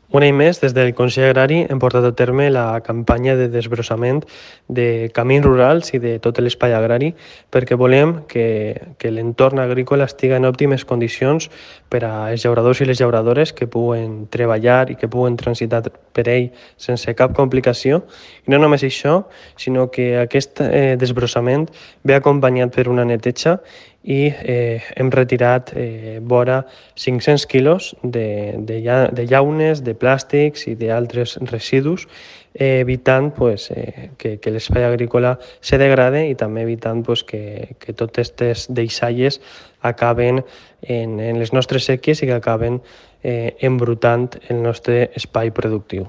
Un any més, des del Consell Agrari hem portat a terme la campanya de desbrossament de camins rurals i de tot l'espai agrari perquè volem que l'entorn agrícola estigui en òptimes condicions per als llauradors i les llauradores que puguen treballar i que puguen transitar per ell sense cap complicació. I no només això, sinó que aquest desbrossament ve acompanyat per una neteja i hem retirat vora 500 quilos de llaunes, de plàstics i d'altres residus, evitant que l'espai agrícola se degrade i també evitant que totes aquestes deixalles acaben en les nostres séquies i que acaben embrutant el nostre espai productiu.